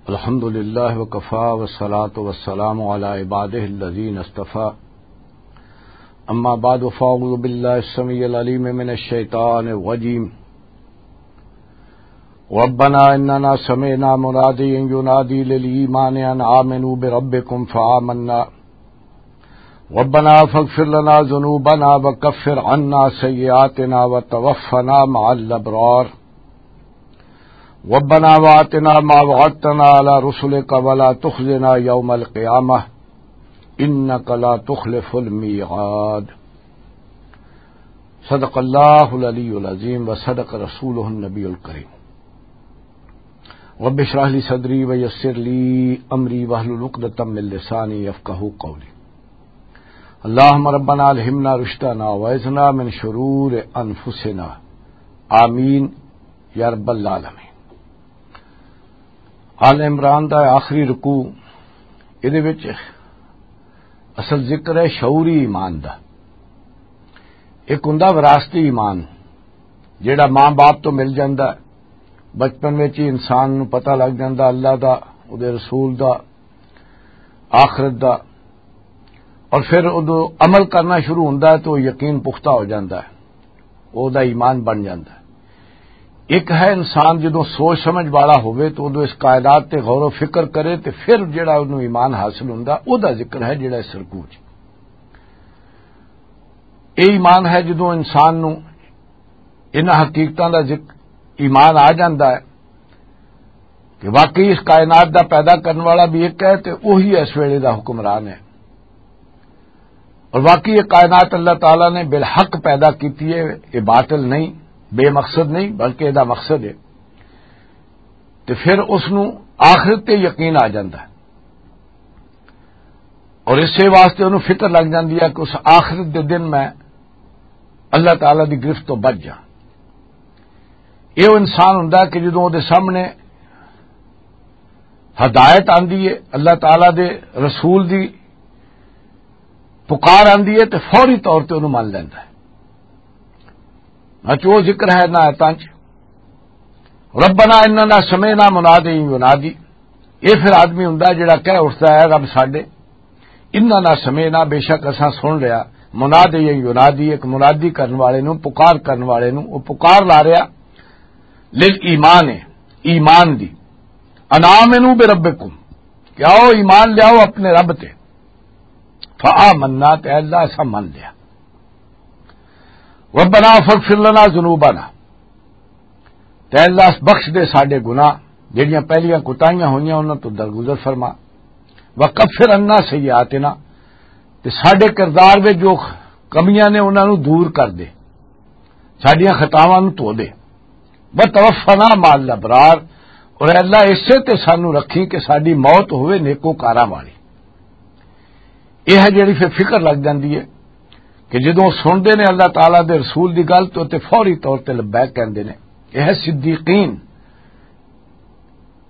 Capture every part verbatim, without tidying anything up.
الحمد لله وكفى والصلاة والسلام على عباده الذين اصطفى. أما بعد، فأعوذ بالله السميع العليم من الشيطان الرجيم. ربنا إننا سمعنا مناديا ينادي للإيمان أن آمنوا بربكم فآمنا. ربنا فاغفر لنا ذنوبنا وكفر عنا سيئاتنا وتوفنا مع الأبرار. ربنا وآتنا ما وعدتنا على رسلك ولا تخزنا يوم القيامة إنك لا تخلف الميعاد. صدق الله العلي العظيم وصدق رسوله النبي الكريم. رب اشرح لي صدري ويسر لي أمري واحلل عقدة من لساني يفقهوا قولي. اللهم ربنا ألهمنا رشدنا وأعذنا من شرور أنفسنا. آمين يا رب العالمين. آل عمران دا آخری رکوع، ادے وچ اصل ذکر ہے شعوری ایمان دا۔ ایک ہوندا وراثتی ایمان، جیڑا ماں باپ تو مل جاندا ہے۔ بچپن وچ ہی انسان نوں پتہ لگ جاندا اللہ دا، اودے رسول دا، آخرت دا، اور پھر اودوں عمل کرنا شروع ہوندا ہے تو یقین پختہ ہو جاندا ہے، او دا ایمان بن جاندا ہے۔ ایک ہے انسان جدوں سوچ سمجھ والا ہوئے تو اودوں اس کائنات تے غور و فکر کرے تے پھر جڑا اودوں ایمان حاصل ہوندا، او دا ذکر ہے جڑا اس رکوع چ۔ اے ایمان ہے جدوں انسان نوں انہاں حقیقتاں دا ذکر، ایمان آ جاندا ہے کہ واقعی اس کائنات دا پیدا کرن والا بھی ایک ہے تے وہی اس ویلے دا حکمران ہے۔ اور واقعی یہ کائنات اللہ تعالیٰ نے بالحق پیدا کیتی ہے، یہ باطل نہیں، بے مقصد نہیں، بلکہ یہ دا مقصد ہے۔ تے پھر اس نوں آخرت تے یقین آ جاندا ہے۔ اور اسے واسطے انہوں فکر لگ جاندی ہے کہ اس آخرت دے دن میں اللہ تعالیٰ دی گرفت تو بچ جاں۔ یہ وہ انسان ہوندا ہے کہ جدوں دے سامنے ہدایت آندی ہے، اللہ تعالیٰ دے رسول دی پکار آندی ہے تے فوری طور تے انہوں مان لیندا ہے۔ اچ وہ ذکر ہے نہ آیتاں چ، "ربنا اننا سمعنا منادی ینادی۔" یہ پھر آدمی ہوندا جڑا کہہ اٹھدا ہے، "رب ساڈے، اننا سمعنا، بے شک اساں سن لیا، منادی ینادی، ایک منادی کرن والے نوں، پکار کرن والے نوں، وہ پکار لا رہا لل ایمان، ایمان دی، ان آمنو بربکم، کہ آؤ ایمان لیاؤ اپنے رب تے۔" فآمنا، تے اللہ اساں من لیا۔ ربنا فاغفر لنا ذنوبنا، تے اللہ بخش دے ساڈے گناہ، جڑیاں پہلیاں کوتاہیاں ہوئیاں انہاں تو درگزر فرما۔ وکفر عنا سیئاتنا، تے ساڈے کردار وچ جو کمیاں نے انہاں نوں دور کر دے، ساڈیاں خطاواں نوں دھو دے۔ وتوفنا مع الابرار، اور اے اللہ اسے تے سانو رکھی کہ ساڈی موت ہوئے نیکوکاراں والی۔ یہ ہے جڑی پھر فکر لگ جاندی ہے کہ جدوں سنتے نے اللہ تعالیٰ دے رسول دی گل تو تے فوری طور تے لبیک کہندے نے۔ یہ ہے صدیقین،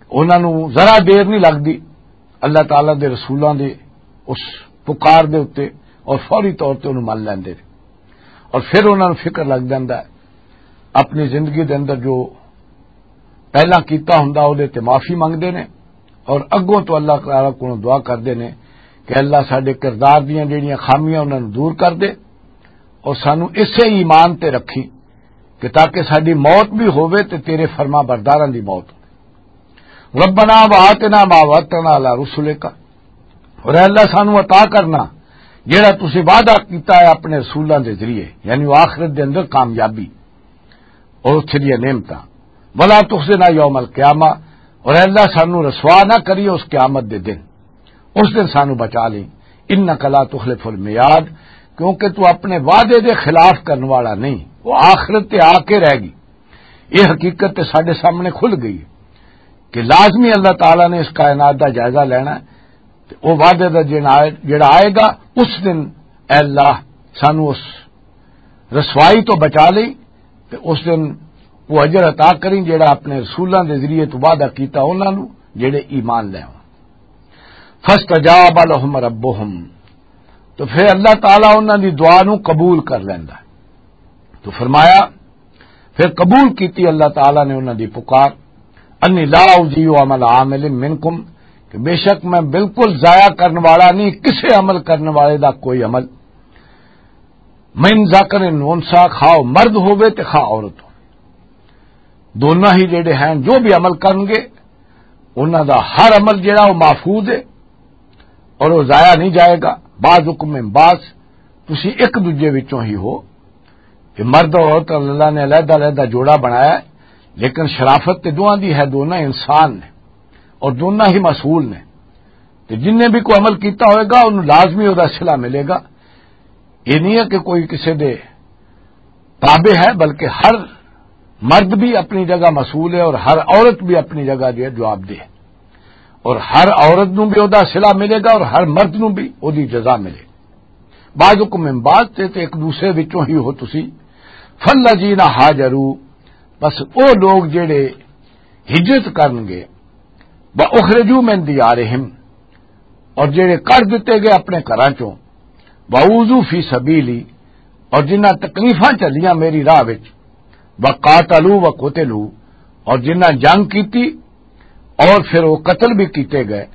انہاں نوں ذرا دیر نہیں لگدی اللہ تعالیٰ دے رسولاں دے اس پکار دے اُتے، اور فوری طور تے انہوں من لیندے نے۔ اور پھر انہاں نوں فکر لگ جاندا ہے، اپنی زندگی دے اندر جو پہلاں کیتا ہوندا، اودے تے معافی منگدے نے اور اگوں تو اللہ تعالیٰ کولوں دعا کردے نے کہ اللہ ساڈے کردار دیاں جڑیاں خامیاں انہاں نوں دور کر دے اور سانو اسے ایمان تے رکھی کہ تاکہ ساڈی موت بھی ہووے تے تیرے فرما برداراں دی موت ہووے۔ ربنا وآتنا ما وعدتنا علی رسلک، اور اے اللہ سانو عطا کرنا جڑا تسی وعدہ کیتا ہے اپنے رسولاں دے ذریعے، یعنی وہ آخرت دے اندر کامیابی اور اتھے دیاں نعمتاں۔ ولا تخزنا یوم القیامہ، اور اے اللہ سانو رسوا نہ کری اس قیامت دے دن، اس دن سانو بچا لیں۔ انک لا تخلف المیعاد، کیونکہ تو اپنے وعدے دے خلاف کرنے والا نہیں، وہ آخرت تے آ کے رہ گئی۔ یہ حقیقت تے ساڈے سامنے کھل گئی ہے کہ لازمی اللہ تعالیٰ نے اس کائنات دا جائزہ لینا ہے۔ تے او وعدے دا جن آئے، جڑا آئے گا، اس دن اے اللہ سانو اس رسوائی تو بچا لئی تے اس دن وہ اجر عطا کریں جڑا اپنے رسولاں دے ذریعے تو وعدہ کیتا انہاں نو جڑے ایمان لے آون۔ فاستجاب لهم ربهم، تو پھر اللہ تعالیٰ انہاں دی دعا نو قبول کر لیندا ہے۔ تو فرمایا، پھر قبول کیتی اللہ تعالیٰ نے انہاں دی پکار۔ انی لا اضیع عمل عامل منکم، کہ بے شک میں بالکل ضائع کرن والا نہیں کسے عمل کرن والے دا کوئی عمل۔ من ذکر انثی، خواہ مرد ہوے تے خواہ عورت ہو، دونوں ہی جڑے ہیں جو بھی عمل کرن گے، انہاں دا ہر عمل جڑا وہ محفوظ ہے اور وہ ضائع نہیں جائے گا۔ بعضکم من بعض، تسی ایک دوجے وچوں ہی ہو۔ کہ مرد اور عورت اللہ نے علیحدہ علیحدہ جوڑا بنایا ہے، لیکن شرافت تے دونوں دی ہے، دونوں انسان نے اور دونوں ہی مسئول نے۔ تے جن نے بھی کوئی عمل کیتا ہوئے گا، انہوں لازمی وہ صلہ ملے گا۔ یہ نہیں ہے کہ کوئی کسی دے تابع ہے، بلکہ ہر مرد بھی اپنی جگہ مسئول ہے اور ہر عورت بھی اپنی جگہ جو ہے جواب دہ ہے، اور ہر عورت نوں بھی وہ صلہ ملے گا اور ہر مرد نوں بھی وہ جزا ملے۔ بعضکم من بعض، تے تے ایک دوسرے وچوں ہی ہو تسی۔ فالذین ہاجروا، بس او لوگ جڑے ہجرت کرن گے، واخرجوا من دیارہم، اور جڑے کر دتے گئے اپنے گھراں چوں، واوذوا فی سبیلی، اور جنہاں تکلیفاں چلیاں میری راہ وچ، وقاتلوا وقتلوا، اور جنہاں جنگ کیتی اور پھر وہ قتل بھی کیتے گئے،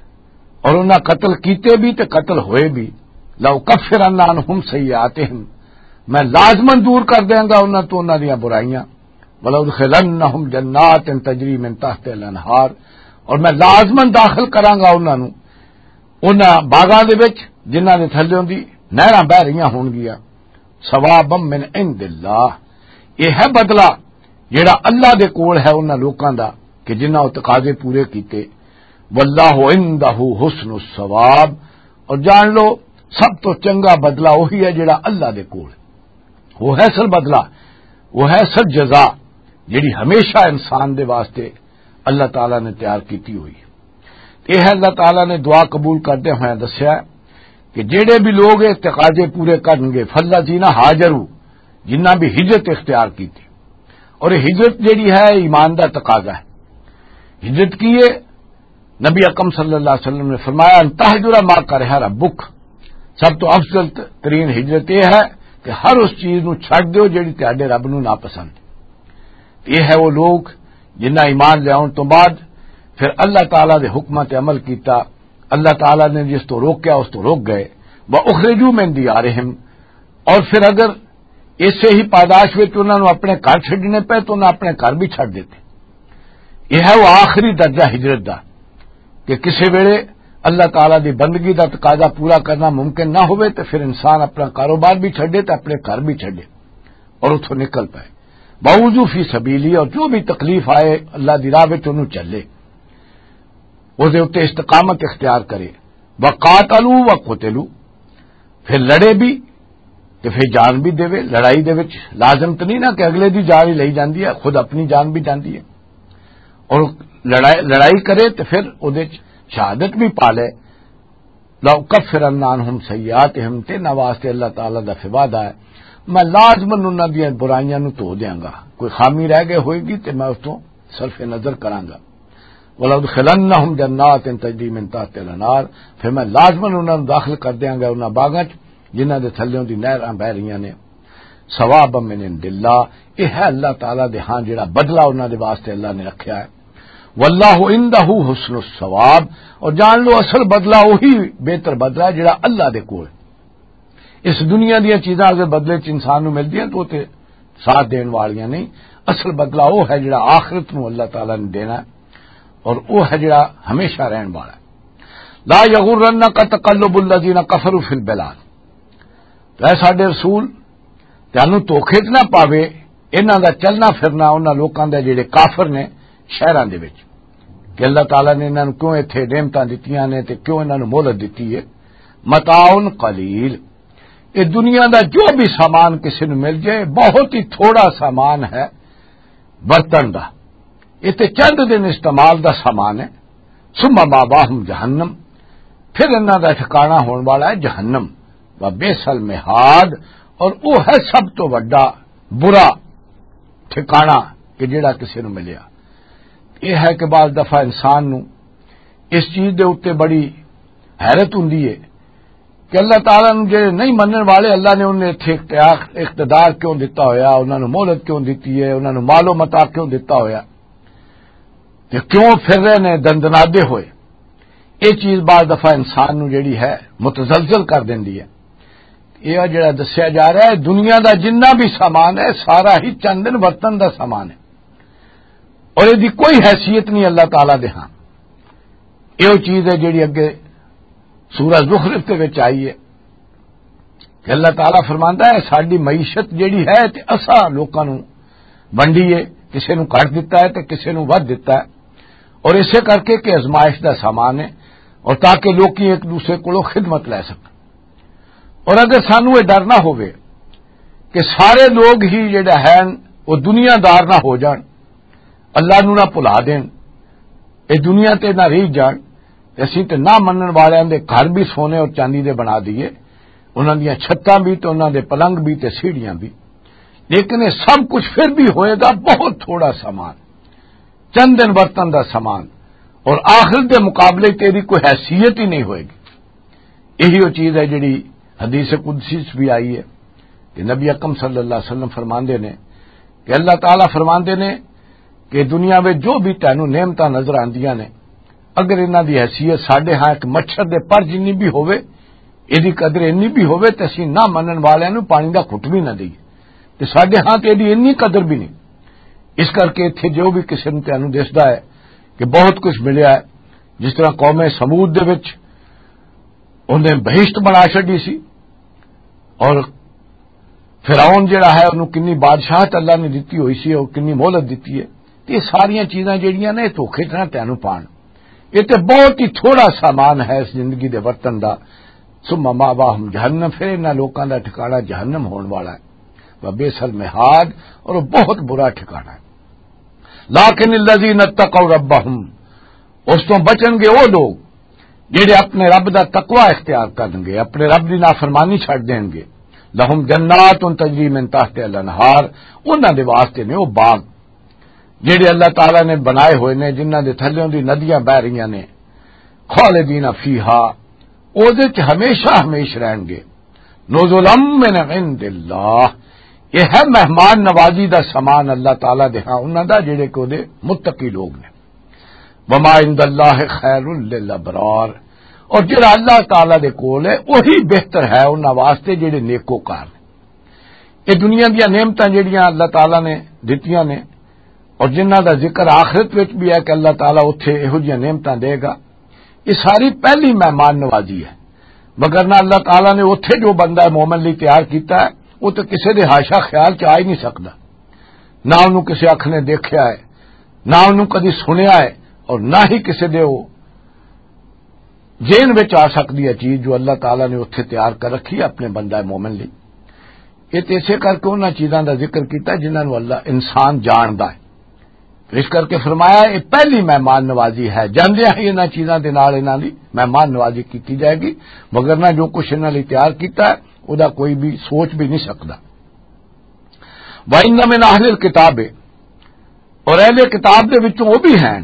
اور انہاں قتل کیتے بھی تے قتل ہوئے بھی، لَأُكَفِّرَنَّ عَنْهُمْ سَيِّئَاتِهِمْ، میں لازماً دور کر دیاں گا انہاں تو انہاں دیاں برائیاں، وَلَأُدْخِلَنَّهُمْ جَنَّاتٍ تَجْرِي مِنْ تَحْتِهَا الْأَنْهَارُ، اور میں لازماً داخل کراں گا انہاں نوں انہاں باغاں دے وچ جنہاں دے تھلیوں دی نہراں بہہ رہیاں ہون گیاں۔ ثوابا من عند اللہ، یہ ہے بدلہ جڑا اللہ دے کول ہے انہاں لوکاں دا کہ جنہاں وہ تقاضے پورے کیتے۔ واللہ عندہ حسن الثواب، اور جان لو سب تو چنگا بدلہ وہی ہے جڑا اللہ دے کول ہے۔ وہ ہے اصل بدلہ، وہ ہے اصل جزا، جڑی ہمیشہ انسان دے واسطے اللہ تعالیٰ نے تیار کیتی ہوئی ہے۔ یہ اللہ تعالیٰ نے دعا قبول کردے ہوئے دسیا کہ جڑے بھی لوگ یہ تقاضے پورے کرن گے، فالذین ہاجروا، جنہاں بھی ہجرت اختیار کیتی، اور یہ ہجرت جڑی ہے ایمان دا تقاضا ہے۔ ہجرت کی ہے؟ نبی اکرم صلی اللہ علیہ وسلم نے فرمایا، ان تہجر ما کرہ ربک، سب تو افضل ترین ہجرت یہ ہے کہ ہر اس چیز نو چھڈ دیو جڑی تہاڈے رب نو ناپسند۔ یہ ہے وہ لوگ جنہاں ایمان لیاؤن تو بعد پھر اللہ تعالیٰ دے حکماں تے عمل کیتا، اللہ تعالیٰ نے جس تو روکیا اس تو روک گئے۔ وَأُخْرِجُوا مِنْ دِيَارِهِمْ، اور پھر اگر اسے ہی پاداش وچ انہاں نوں اپنے گھر چھڈنے پے تو انہاں اپنے گھر بھی چھڈ دیتے۔ یہ ہے وہ آخری درجہ ہجرت دا کہ کسے ویلے اللہ تعالیٰ دی بندگی دا تقاضا پورا کرنا ممکن نہ ہوئے تو پھر انسان اپنا کاروبار بھی چھڈے تو اپنے گھر بھی چھڈے اور اتھوں نکل پائے۔ باوجود فی سبیلی، اور جو بھی تکلیف آئے اللہ دی راہ وچ انہوں چلے، اس دے اُتے استقامت اختیار کرے۔ وقاتلوا وقتلوا، پھر لڑے بھی تے پھر جان بھی دے۔ لڑائی دے وچ لازم تو نہیں نا کہ اگلے دی جان ہی لئی جاندی ہے، خود اپنی جان بھی جاندی ہے۔ اور لڑائی لڑائی کرے تے پھر اودے وچ شہادت بھی پا لے۔ لَأُكَفِّرَنَّ عَنْهُمْ سَيِّئَاتِهِمْ، تے انہاں واسطے اللہ تعالیٰ دا وعدہ ہے، میں لازماً انہاں دیاں برائیاں نوں دھو دیاں گا، کوئی خامی رہ گئی ہوئے گی تے میں اس تو صرف نظر کراں گا۔ وَلَأُدْخِلَنَّهُمْ جَنَّاتٍ تَجْرِي مِنْ تَحْتِهَا الْأَنْهَارُ، پھر میں لازماً انہاں نوں داخل کر دیاں گا انہاں باغاں چ جنہاں دے تھلیوں دی نہراں بہ رہیاں نے۔ ثوابا من عند اللہ، یہ ہے اللہ تعالیٰ دے ہاں جڑا بدلہ انہاں دے واسطے اللہ نے رکھیا ہے۔ واللہ عندہ حسن الثواب، اور جان لو اصل بدلہ وہی بہتر بدلہ ہے جڑا اللہ دے کول۔ اس دنیا دیاں چیزاں اگر بدلے چ انسان نوں ملدیاں تو تے ساتھ دین والیاں نہیں، اصل بدلہ وہ ہے جڑا آخرت نوں اللہ تعالیٰ نے دینا ہے، اور وہ ہے جڑا ہمیشہ رہن والا ہے۔ لا یغرنک تقلب الذین کفروا فی البلاد، تو اے ساڈے رسول، تانوں دھوکے 'چ نہ پاوے انہاں دا چلنا پھرنا، انہاں لوکاں دا جڑے کافر نے شہراں دے وچ، کہ اللہ تعالیٰ نے انہاں نوں کیوں ایتھے نعمتاں دتیاں نے تے کیوں انہاں نوں مہلت دتی ہے۔ متاع قلیل، اے دنیا دا جو بھی سامان کسی نوں مل جائے، بہت ہی تھوڑا سامان ہے برتن دا، یہ تے چند دن استعمال دا سامان ہے۔ ثم مأواہم جہنم، پھر انہاں دا ٹھکانہ ہون والا ہے جہنم۔ وبئس المہاد، اور وہ ہے سب تو وڈا برا ٹھکانہ کہ جڑا کسی نوں ملیا۔ یہ ہے کہ بعض دفعہ انسان نوں اس چیز دے اُتے بڑی حیرت ہوندی ہے کہ اللہ تعالیٰ نوں جڑے نہیں منن والے، اللہ نے انہیں اتھے اختیار، اقتدار کیوں دتا ہویا، انہاں نوں مہلت کیوں دتی ہے، انہاں نوں مال و متاع کیوں دتا ہویا؟ کہ کیوں پھر رہے نے دندنادے ہوئے۔ یہ چیز بعض دفعہ انسان نو جڑی ہے، متزلزل کر دیندی ہے۔ یہ جڑا دسیا جا رہا ہے، دنیا دا جنہ بھی سامان ہے، سارا ہی چند دن ورتن دا سامان ہے، اور یہ دی کوئی حیثیت نہیں اللہ تعالیٰ دے ہاں۔ یہ وہ چیز ہے جڑی اگے سورہ زخرف دے وچ آئی ہے، کہ اللہ تعالیٰ فرماندا ہے، ساڈی معیشت جڑی ہے تے اساں لوکاں نوں ونڈی ہے، کسے نوں گھٹ دتا ہے تے کسے نوں ودھ دتا ہے، اور اسے کر کے کہ آزمائش دا سامان ہے، اور تاکہ لوکی ایک دوسرے کولوں خدمت لے سکن۔ اور اگر سانوں یہ ڈر نہ ہووے کہ سارے لوگ ہی جڑا ہے وہ دنیا دار نہ ہو جان، اللہ نوں نہ بھلا دین، اے دنیا تے نہ رہ جان، تے اسی تے نہ منن والیاں دے گھر بھی سونے اور چاندی دے بنا دیے، انہاں دیاں چھتاں بھی تے انہاں دے پلنگ بھی تے سیڑھیاں بھی۔ لیکن یہ سب کچھ پھر بھی ہوئے گا بہت تھوڑا سامان، چند دن برتن دا سامان، اور آخرت دے مقابلے تیری کوئی حیثیت ہی نہیں ہوئے گی۔ یہی وہ چیز ہے جڑی حدیث قدسی چ بھی آئی ہے، کہ نبی اکرم صلی اللہ علیہ وسلم فرماندے نے کہ اللہ تعالیٰ فرماندے نے کہ دنیا میں جو بھی تینوں نعمتاں نظر آندیاں نے، اگر انہاں دی حیثیت ساڈے ہاں ایک مچھر دے پر جنی بھی ہووے، ایدی قدر اینی بھی ہووے تے اسی نہ منن والیاں نوں پانی دا گھٹ بھی نہ دئیے، تے ساڈے ہاں تے ایدی اینی قدر بھی نہیں۔ اس کر کے اتھے جو بھی قسم تینوں دسدا ہے کہ بہت کچھ ملیا ہے، جس طرح قوم سمود دے وچ انہیں بہشت بنا چھڈی سی، اور فرعون جڑا ہے، انہوں کنی بادشاہت اللہ نے دتی ہوئی سی اور کنی مہلت دتی ہے۔ تے یہ ساریاں چیزاں جڑیاں نے، یہ دھوکے چ نہ تینوں پان۔ یہ تے بہت ہی تھوڑا سامان ہے اس زندگی دے ورتن دا۔ ثم مأواہم جہنم، پھر انہاں لوکاں دا ٹھکانہ جہنم ہون والا ہے۔ وبئس المہاد، اور وہ بہت برا ٹھکانہ ہے۔ لیکن الذین اتقوا ربہم، اس تو بچن گے وہ لوگ جڑے اپنے رب دا تقوی اختیار کرن گے، اپنے رب دی نافرمانی چھڈ دین گے۔ لہم جنات تجری من تحت الانہار، انہاں دے واسطے نے وہ باغ جڑے اللہ تعالیٰ نے بنائے ہوئے نے، جنہاں دے تھلیوں دی ندیاں بہ رہیاں نے۔ خالدین فیہا، او دے چ ہمیشہ ہمیش رہن گے۔ نزلا من عند اللہ، یہ ہے مہمان نوازی دا سامان اللہ تعالیٰ دے ہاں انہاں دا، جڑے کہ او دے متقی لوگ نے۔ وما عند اللہ خیر للابرار، اور جڑا اللہ تعالیٰ دے کول ہے وہی بہتر ہے انہاں واسطے جڑے نیکوکار نے۔ یہ دنیا دیاں نعمتاں جڑیاں اللہ تعالیٰ نے دتیاں نے، اور جنہاں دا ذکر آخرت وچ بھی ہے کہ اللہ تعالیٰ اتھے یہو جیاں نعمتاں دے گا، یہ ساری پہلی مہمان نوازی ہے۔ مگر نہ اللہ تعالیٰ نے اتھے جو بندہ مومن لئی تیار کیتا ہے، وہ تو کسے دے حاشا خیال چ آ ہی نہیں سکدا۔ نہ انہوں کسے اکھ نے دیکھیا ہے، نہ انہوں کدی سنیا ہے، اور نہ ہی کسے دے وہ ذہن وچ آ سکدی ہے چیز جو اللہ تعالیٰ نے اتھے تیار کر رکھی ہے اپنے بندہ مومن لئی۔ یہ تے اسے کر کے انہاں چیزاں دا ذکر کیتا جنہاں نوں اللہ انسان جاندا ہے۔ تو اس کر کے فرمایا، یہ پہلی مہمان نوازی ہے، جاندیاں ہی انہاں چیزاں دے نال انہاں دی مہمان نوازی کیتی جائے گی، مگر نہ جو کچھ انہاں لئی تیار کیتا ہے، او دا کوئی بھی سوچ بھی نہیں سکدا۔ وَإِنَّ مِنْ أَهْلِ الْكِتَابِ، اور اہل کتاب دے وچوں وہ بھی ہیں،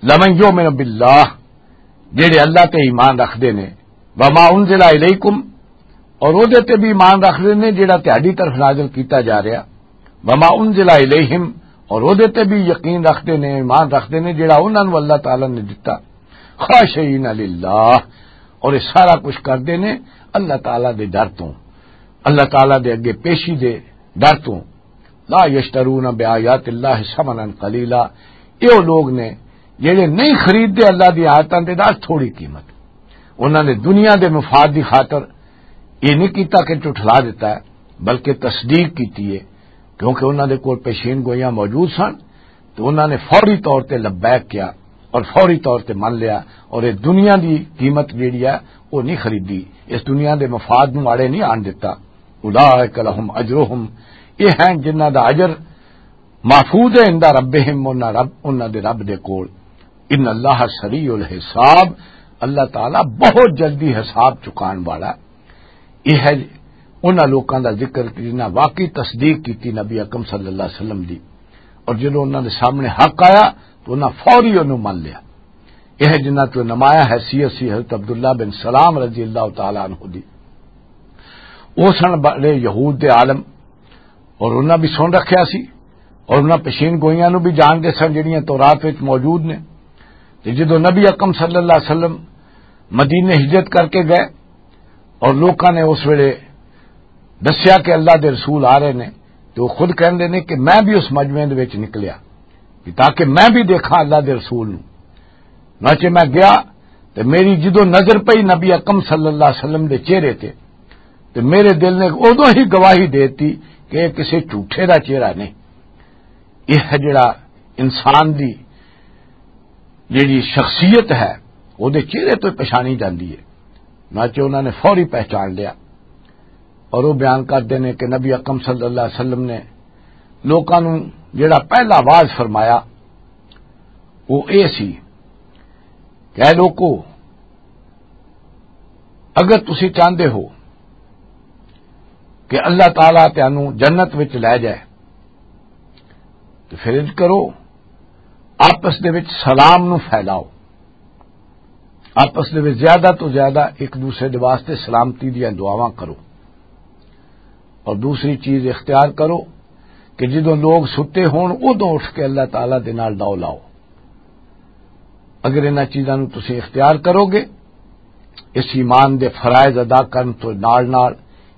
لمن یؤمن باللہ، جڑے اللہ تے ایمان رکھدے نے، وما انزل الیکم، اور وہ دے تے بھی ایمان رکھدے نے جڑا تہاڈی طرف نازل کیتا جا رہا، وما انزل الیہم، اور وہ دے تے بھی یقین رکھدے نے، ایمان رکھدے نے جڑا انہاں نوں اللہ تعالیٰ نے دتا، خاشعین للہ، اور یہ سارا کچھ کردے نے اللہ تعالیٰ دے ڈر تو، اللہ تعالیٰ دے اگے پیشی دے ڈر تو۔ لا یشترون بآیات اللہ ثمنا قلیلا، یہ وہ لوگ نے جڑے نہیں خریدتے اللہ دی آیتاں دے نال تھوڑی قیمت۔ انہاں نے دنیا دے مفاد دی خاطر یہ نہیں کیتا کہ جھٹلا دیتا ہے، بلکہ تصدیق کیتی ہے، کیونکہ انہاں دے کول پیشین گوئیاں موجود سن، تو انہاں نے فوری طور تے لبیک کیا اور فوری طور تے من لیا، اور یہ دنیا دی قیمت جیڑی ہے وہ نہیں خریدی، اس دنیا دے مفاد نوں آڑے نہیں آن دتا۔ اولئک لہم اجرہم، یہ ہیں جنہاں دا اجر محفوظ ہے عند ربہم، انہاں رب، انہاں دے رب دے کول۔ ان اللہ سریع الحساب، اللہ تعالیٰ بہت جلدی حساب چکان والا۔ یہ ہے انہاں لوکاں دا ذکر کہ جنہاں واقعی تصدیق کیتی نبی اکرم صلی اللہ علیہ وسلم دی، اور جدوں انہاں دے سامنے حق آیا تو انہاں فوری انہوں من لیا۔ یہ ہے جنہاں تو نمایاں حیثیت سی حضرت عبداللہ بن سلام رضی اللہ تعالیٰ عنہ دی۔ وہ سن بڑے یہود دے عالم، اور انہاں بھی سن رکھیا سی، اور انہاں پیشین گوئیاں نوں بھی جان دے سن، جڑیاں تورات وچ موجود نے۔ تے جدوں نبی اکرم صلی اللہ علیہ وسلم مدینے ہجرت کر کے گئے اور لوکاں نے اس ویلے دسیا کہ اللہ دے رسول آ رہے نے، تو وہ خود کہندے نے کہ میں بھی اس مجمع دے وچ نکلیا کہ تاکہ میں بھی دیکھاں اللہ دے رسول نوں۔ ناچے میں گیا تے میری جدوں نظر پئی نبی اکرم صلی اللہ علیہ وسلم دے چہرے تے، تے میرے دل نے ادوں ہی گواہی دیتی کہ یہ کسی جھوٹے دا چہرہ نہیں۔ یہ ہے جڑا انسان دی جڑی شخصیت ہے، وہ دے چہرے تو پہچانی جاندی ہے۔ ناچے انہوں نے فوری پہچان لیا اور وہ بیان کرتے ہیں کہ نبی اکرم صلی اللہ علیہ وسلم نے لوکاں نوں جڑا پہلا واز فرمایا، وہ اے سی کہ اے لوکو، اگر تسی چاہندے ہو کہ اللہ تعالیٰ تانوں جنت وچ لے جائے، تو پھر انج کرو، آپس دے وچ سلام نو پھیلاؤ، آپس دے وچ زیادہ تو زیادہ ایک دوسرے دے واسطے سلامتی دیاں دعاواں کرو۔ اور دوسری چیز اختیار کرو کہ جدوں لوگ ستے ہون، ادوں اٹھ کے اللہ تعالیٰ دے نال دعا لاؤ۔ اگر انہاں چیزاں نوں تسی اختیار کرو گے، اس ایمان دے فرائض ادا کرن تو نال نال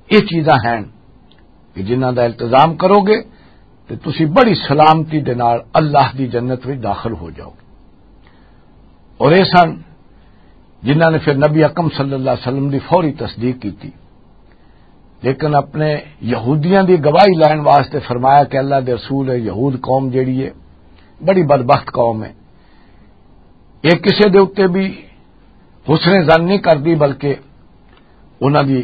یہ چیزاں ہیں کہ جنہاں دا التزام کرو گے، تے تسی بڑی سلامتی دے نال اللہ دی جنت وچ داخل ہو جاؤ گے۔ اور یہ سن جنہاں نے پھر نبی اکرم صلی اللہ علیہ وسلم دی فوری تصدیق کی تھی۔ لیکن اپنے یہودیاں دی گواہی لین واسطے فرمایا کہ اللہ دے رسول ہے، یہود قوم جیڑی ہے، بڑی بدبخت قوم ہے۔ یہ کسے دے اُتے بھی حسن ظن نہیں کردی، بلکہ انہاں دی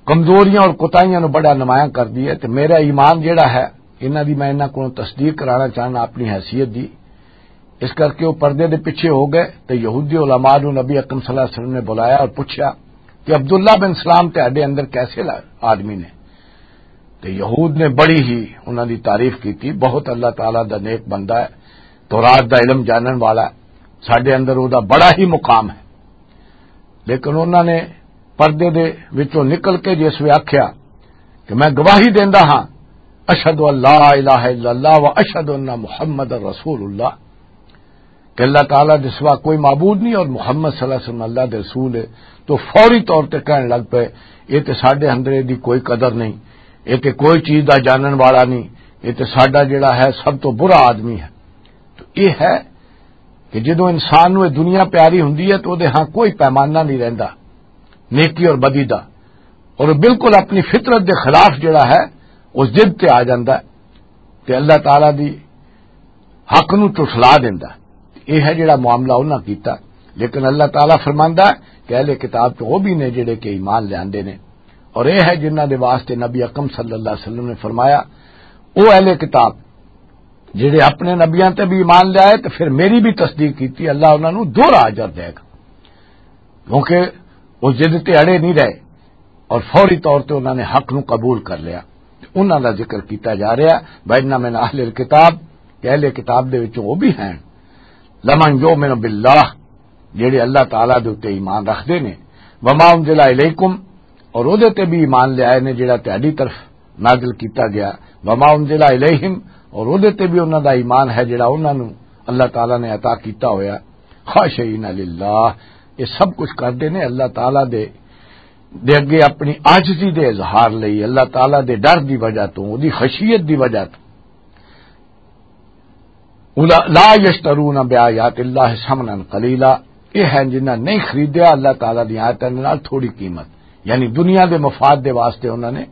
کمزوریاں اور کوتاہیاں نوں بڑا نمایاں کردی ہے۔ تے میرا ایمان جیڑا ہے، انہاں دی میں انہاں کولوں تصدیق کرانا چاہنا اپنی حیثیت دی۔ اس کر کے وہ پردے دے پیچھے ہو گئے۔ تے یہودی علماء نوں نبی اکرم صلی اللہ علیہ وسلم نے بلایا اور پوچھا کہ عبداللہ بن سلام تہاڈے اندر کیسے لا-، آدمی نے؟ تے یہود نے بڑی ہی انہاں دی تعریف کی تھی، بہت اللہ تعالیٰ دا نیک بندہ ہے، تورات دا علم جانن والا ہے، ساڈے اندر او دا بڑا ہی مقام ہے۔ لیکن انہاں نے پردے دے وچوں نکل کے جس وے آکھیا کہ میں گواہی دیندا ہاں، اشہد ان لا الہ الا اللہ و اشہد ان محمد رسول اللہ، کہ اللہ تعالیٰ دے سوا کوئی معبود نہیں اور محمد صلی اللہ علیہ وسلم اللہ دے رسول ہے، تو فوری طور تے کہن لگ پے، یہ تے ساڈے اندر دی کوئی قدر نہیں، یہ تے کوئی چیز دا جانن والا نہیں، یہ تے ساڈا جڑا ہے سب تو برا آدمی ہے۔ تو یہ ہے کہ جدوں انسان نوں یہ دنیا پیاری ہوندی ہے تو دے ہاں کوئی پیمانہ نہیں رہندا نیکی اور بدی دا، اور وہ بالکل اپنی فطرت دے خلاف جڑا ہے اس ضد تے آ جاندا ہے تے اللہ تعالیٰ دی حق نو ٹھٹلا دیندا۔ یہ ہے جڑا معاملہ انہاں کیتا۔ لیکن اللہ تعالیٰ فرماندا ہے کہ اہل کتاب تو وہ بھی نے جڑے کہ ایمان لیاندے نے، اور یہ ہے جنہاں دے واسطے نبی اکرم صلی اللہ علیہ وسلم نے فرمایا، او اہل کتاب جڑے اپنے نبیاں تے بھی ایمان لے آئے تے پھر میری بھی تصدیق کیتی، اللہ انہاں نو دوہرا اجر دے گا، کیونکہ وہ ضد تے اڑے نہیں رہے اور فوری طور تے انہاں نے حق نو قبول کر لیا۔ انہاں دا ذکر کیتا جا رہا، وَإِنَّ مِنْ أَهْلِ الْكِتَابِ، کہ اہل کتاب دے وچوں وہ بھی ہیں، لَمَنْ يُؤْمِنُ بِاللَّهِ، جڑے اللہ تعالیٰ دے اُتے ایمان رکھدے نے، وَمَا أُنْزِلَ إِلَيْكُمْ، اور اودے تے بھی ایمان لے آئے نے جڑا تہاڈی طرف نازل کیتا گیا، وما انزل الیہم، اور اودے تے بھی انہاں دا ایمان ہے جڑا انہاں نوں اللہ تعالیٰ نے عطا کیتا ہویا۔ خاشعین للہ، یہ سب کچھ کردے نے اللہ تعالیٰ دے، دے اگے اپنی عاجزی دے اظہار لئی، اللہ تعالیٰ دے ڈر دی وجہ تو، اودی خشیت دی وجہ تو۔ اولا-، لا یشترون بآیات اللہ ثمنا قلیلا، یہ ہیں جنہاں نہیں خریدیا اللہ تعالیٰ دی آیتاں دے نال تھوڑی قیمت، یعنی دنیا دے مفاد دے واسطے انہاں نے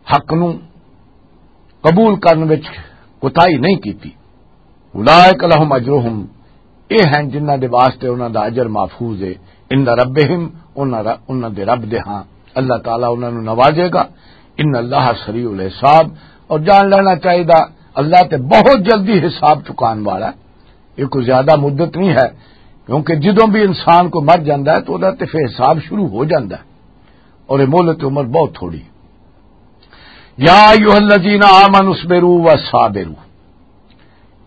حق نو قبول کرن وچ کوتاہی نہیں کیتی۔ اولئک لہم اجرہم، یہ ہیں جنہاں دے واسطے انہاں دا اجر محفوظ ہے، عند ربہم، انہاں ر-، انہاں دے رب دے ہاں، اللہ تعالیٰ انہاں نو نوازے گا۔ ان اللہ سریع الحساب، اور جان لینا چاہیے اللہ تے بہت جلدی حساب چکان والا ہے۔ یہ کوئی زیادہ مدت نہیں ہے، کیونکہ جدوں بھی انسان کو مر جاندا ہے تو ادا تے پھر حساب شروع ہو جاندا ہے، اور یہ مہلت عمر بہت تھوڑی۔ یا ایھا الذین آمنوا اصبروا وصابروا،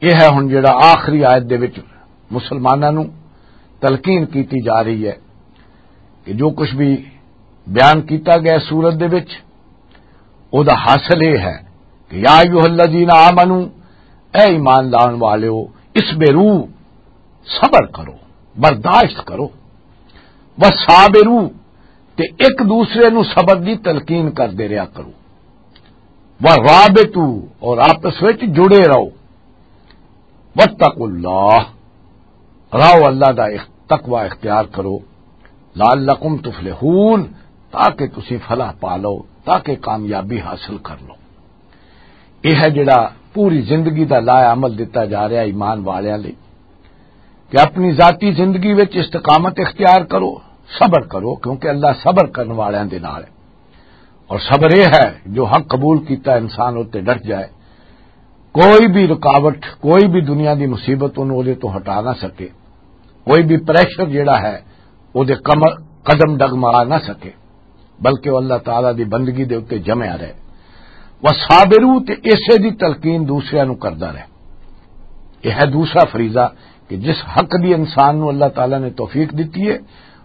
یہ ہے ہن جڑا آخری آیت دے وچ مسلماناں نوں تلقین کیتی جا رہی ہے کہ جو کچھ بھی بیان کیتا گیا سورت دے وچ، او دا حاصل یہ ہے کہ یا ایھا الذین آمنو، اے ایمان لان والےو، اصبروا، صبر کرو، برداشت کرو، وصابروا، تے ایک دوسرے نو صبر دی تلقین کردے رہیا کرو، ورابطوا، اور آپس وچ جڑے رہو، واتقوا اللہ، راہو اللہ دا اخ-، تقوی اختیار کرو، لعلکم تفلحون، تاکہ تسی فلاح پا لو، تاکہ کامیابی حاصل کر لو۔ یہ ہے جڑا پوری زندگی دا لائحہ عمل دتا جا رہا ایمان والیاں لئی، کہ اپنی ذاتی زندگی وچ استقامت اختیار کرو، صبر کرو، کیونکہ اللہ صبر کرن والیاں دے نال ہے۔ اور صبر یہ ہے جو حق قبول کیتا انسان اتنے ڈٹ جائے، کوئی بھی رکاوٹ، کوئی بھی دنیا دی مصیبت انہوں دے تو ہٹا نہ سکے، کوئی بھی پریشر جڑا ہے وہ دے کم-، قدم ڈگمگا نہ سکے، بلکہ وہ اللہ تعالیٰ دی بندگی دے اتے جمع رہے۔ وصابروا، تے اسے دی تلقین دوسرے نو کردا رہے۔ یہ ہے دوسرا فریضہ کہ جس حق دی انسان نو اللہ تعالیٰ نے توفیق دتی ہے،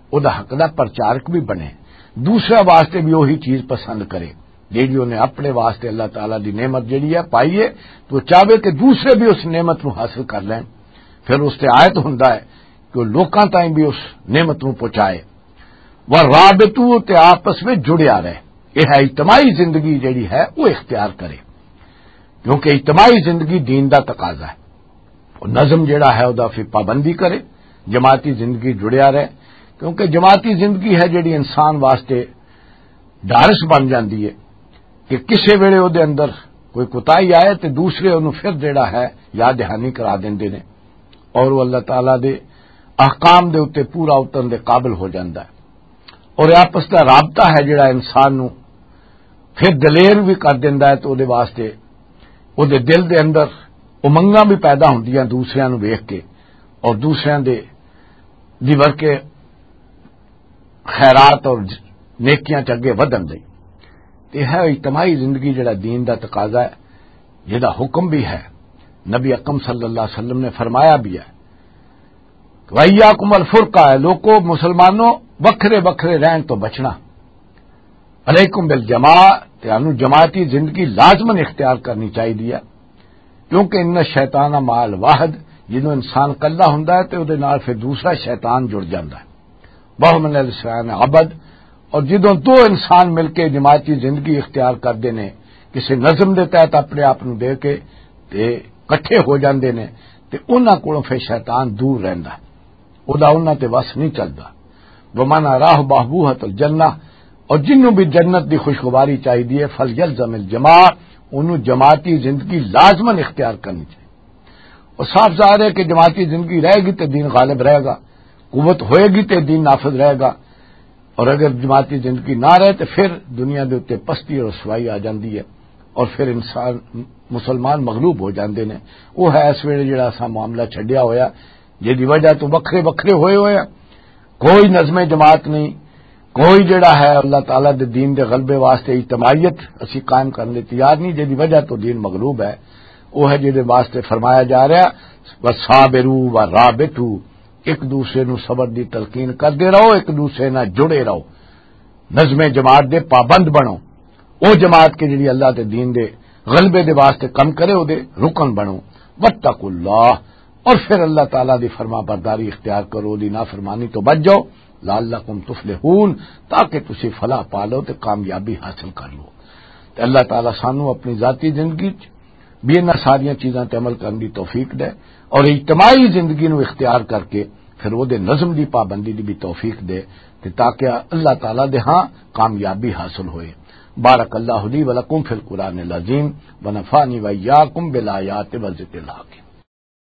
او دا حق دا پرچارک بھی بنے، دوسرا واسطے بھی وہی چیز پسند کرے۔ جیڑی انہیں اپنے واسطے اللہ تعالیٰ دی نعمت جیڑی ہے پائی ہے، تو چاہے کہ دوسرے بھی اس نعمت نو حاصل کر لیں۔ پھر اس تے آیت ہوندا ہے کہ وہ لوکاں تائیں بھی اس نعمت نو پہنچائے۔ وہ رابطو تے آپس میں جڑیا رہے۔ یہ ہے اجتماعی زندگی جیڑی ہے وہ اختیار کرے، کیونکہ اجتماعی زندگی دین دا تقاضا ہے۔ وہ نظم جیڑا ہے وہ پھر پابندی کرے، جماعتی زندگی جڑیا رہے، کیونکہ جماعتی زندگی ہے جیڑی انسان واسطے ڈارس بن جاندی ہے کہ کسے ویلے او دے اندر کوئی کوتاہی آئے تے دوسرے اونوں پھر جڑا ہے یاد دہانی کرا دیندے نے، اور وہ اللہ تعالیٰ دے احکام دے اُتے پورا اترن دے قابل ہو جاندا ہے۔ اور یہ آپس دا رابطہ ہے جڑا انسان نو پھر دلیر بھی کر دیندا ہے، تو او دے واسطے او دے دل دے اندر امنگاں بھی پیدا ہوندیاں دوسریاں نو ویکھ کے، اور دوسریاں دے دی ورکے خیرات اور نیکیاں چ اگے ودھن لئی۔ تے ہے اجتماعی زندگی جڑا دین دا تقاضا ہے، جہدا حکم بھی ہے، نبی اکرم صلی اللہ علیہ وسلم نے فرمایا بھی ہے، "وَإِيَّاكُمْ وَالْفُرْقَةَ"، لوکو مسلمانوں، وکھرے وکھرے رہن تو بچنا۔ "عَلَيْكُمْ بِالْجَمَاعَةِ"، تے انو جماعتی زندگی لازماً اختیار کرنی چاہیے، کیونکہ "إِنَّ الشَّيْطَانَ مَعَ الْوَاحِدِ"، جدوں انسان کلھا ہوندا ہے تے اودے نال پھر دوسرا شیطان جڑ جاندا ہے۔ "وَهُمْ لِلشَّيْطَانِ عَوْنٌ"، اور جدوں دو انسان مل کے جماعتی زندگی اختیار کردے نے، کسی نظم دے تحت اپنے آپ نو دے کے تے اکٹھے ہو جاندے نے، تے انہاں کولوں پھر شیطان دور رہندا ہے، او دا انہاں تے وس نہیں چلدا۔ "وَمَنْ أَرَاهُ بَهْبُوهَةَ الْجَنَّةِ"، اور جنوں بھی جنت دی خوشگواری چاہیے، "فَلْيَلْزَمِ الْجَمَاعَةَ"، انہوں جماعتی زندگی لازماً اختیار کرنی چاہیے۔ اور صاف ظاہر ہے کہ جماعتی زندگی رہے گی تے دین غالب رہے گا، قوت ہوئے گی تے دین نافذ رہے گا۔ اور اگر جماعتی زندگی نہ رہے تو پھر دنیا دے اُتے پستی اور رسوائی آ جاندی ہے، اور پھر انسان، مسلمان مغلوب ہو جاندے نے۔ وہ ہے اس ویلے جڑا اساں معاملہ چھڈیا ہویا، جس دی وجہ تو وکھرے وکھرے ہوئے ہوئے ہیں۔ کوئی نظم جماعت نہیں، کوئی جڑا ہے اللہ تعالیٰ دے دین دے غلبے واسطے اجتماعیت اسی قائم کرنے تیار نہیں، جس دی وجہ تو دین مغلوب ہے۔ وہ ہے جس دے واسطے فرمایا جا رہا، "وَصَابِرُوا وَرَابِطُوا"، ایک دوسرے نو صبر دی تلقین کردے رہو، ایک دوسرے نال جڑے رہو، نظم جماعت دے پابند بنو۔ او جماعت کے جڑی اللہ دے دین دے غلبے دے واسطے کم کرے، او دے رکن بنو۔ "وَاتَّقُوا اللَّهَ"، اور پھر اللہ تعالیٰ دی فرما برداری اختیار کرو، دی نافرمانی تو بچ جاؤ۔ "لَعَلَّكُمْ تُفْلِحُونَ"، تاکہ تسی فلاح پا لو تے کامیابی حاصل کر لو۔ تے اللہ تعالیٰ سانو اپنی ذاتی زندگی چ بھی انہاں ساریاں چیزاں تے عمل کرن دی توفیق دے، اور اجتماعی زندگی نو اختیار کر کے پھر وہ دے نظم دی پابندی دی بھی توفیق دے، تے تاکہ اللہ تعالیٰ دے ہاں کامیابی حاصل ہوئے۔ بارک اللہ لی و لکم فی القرآن العظیم، و نفعنی و ایاکم بالآیات و ذکر الحکیم۔